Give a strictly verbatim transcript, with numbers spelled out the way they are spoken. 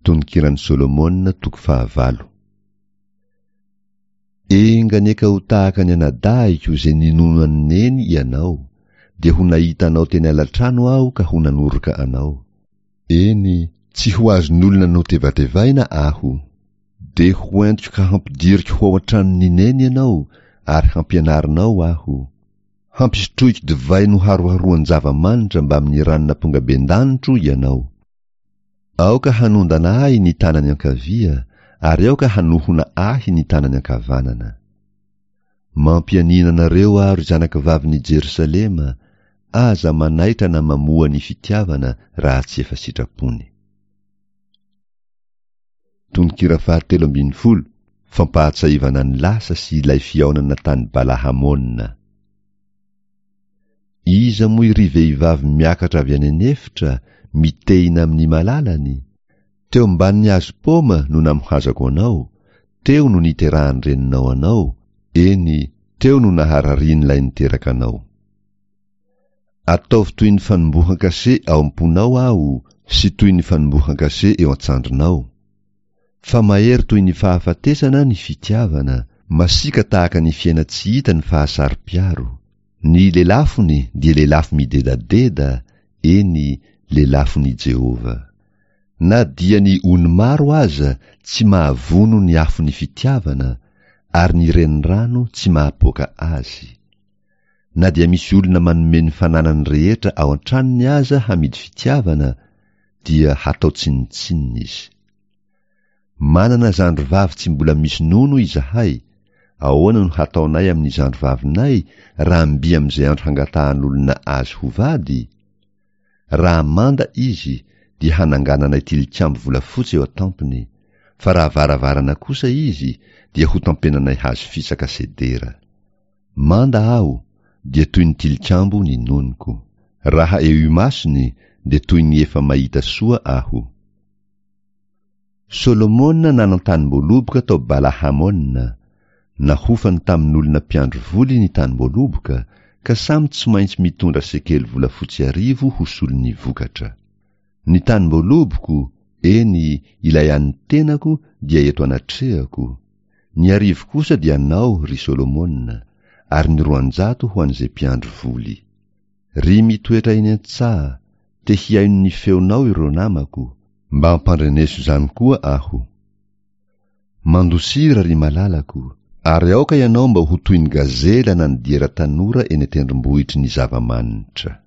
Tononkiran'i Solomona toko fahavalo. Enga anie ka ho tahaka ny anadahiko izay ninono an'i Neny ianao, dia ho nahita anao teny alatrano aho ka ho nanoroka anao. Eny, tsy ho azon'olona notevatevaina aho. Dia ho entiko ka hampidiriko ho ao an-tranon'i Neny ianao ary hampianarinao aho. Hampisotroiko divay noharoharoan-java-manitra mbamin'ny ranon'ampongabendanitro ianao. Aoka hanondana ahy ny tanany ankavia, ary aoka hanohona ahy ny tanany ankavanana. Mampianiana anareo aho, ry zanakavavin'i Jerosalema, aza manaitra na mamoha ny fitiavana raha tsy efa sitrapony. Tononkira fahatelo ambin'ny folo, Fampahatsiahivana ny lasa sy ilay fihaonana tany Bala-Hamona. Iza moa iry vehivavy miakatra avy any an'efitra, mitehina amin'ny malalany? Teo ambanin'ny hazo paoma no namohazako anao, teo no niterahan'ny reninao anao, eny, teo no nahararian'ilay niteraka anao. Ataovy toy ny fanombohan-kase ao am-ponao aho sy toy ny fanombohan-kase eo an-tsandrinao. Fa mahery toy ny fahafatesana ny fitiavana, masiaka tahaka ny fiaina-tsy hita ny fahasaro-piaro. Ny lelafony dia lelafo midedadeda, eny, lelafon'i Jehovah. Na dia ny ony maro aza tsy mahavono ny afon'ny fitiavana, ary ny renirano tsy mahapoaka azy. Na dia misy olona manome ny fananany rehetra ao an-tranony aza hamidy fitiavana, dia hatao tsinontsinona izy. Manana zandry vavy tsy mbola misy nono izahay, ahoana no hataonay amin'ny zandry vavinay raha mby amin'izay andro hangatahan'olona azy ho vady? Raha manda izy, dia hanangananay tilikambo volafotsy eo an-tampony, fa raha varavarana kosa izy, dia hotampenanay hazo fisaka sedera. Manda aho, dia toy ny tilikambo ny nonoko. Raha eo imasony, dia toy ny efa mahita soa aho. Solomona nanan-tanim-boaloboka tao Bala-Hamona. Nahofany tamin'olona mpiandry voly ny tanim-boaloboka, ka samy tsy maintsy mitondra sekely volafotsy arivo ho solon'ny vokatra. Ny tanim-boaloboko, eny, ilay an'ny tenako, dia eto anatrehako. Ny arivo kosa dia anao, ry Solomona, ary ny roanjato ho an'izay mpiandry voly. Ry mitoetra eny an-tsaha, te hihaino ny feonao ireo namako, mba ampandreneso izany koa aho. Mandosira, ry malalako, ary aoka ianao mba ho toy ny gazela na ny diera tanora eny an-tendrombohitry ny zava-manitra.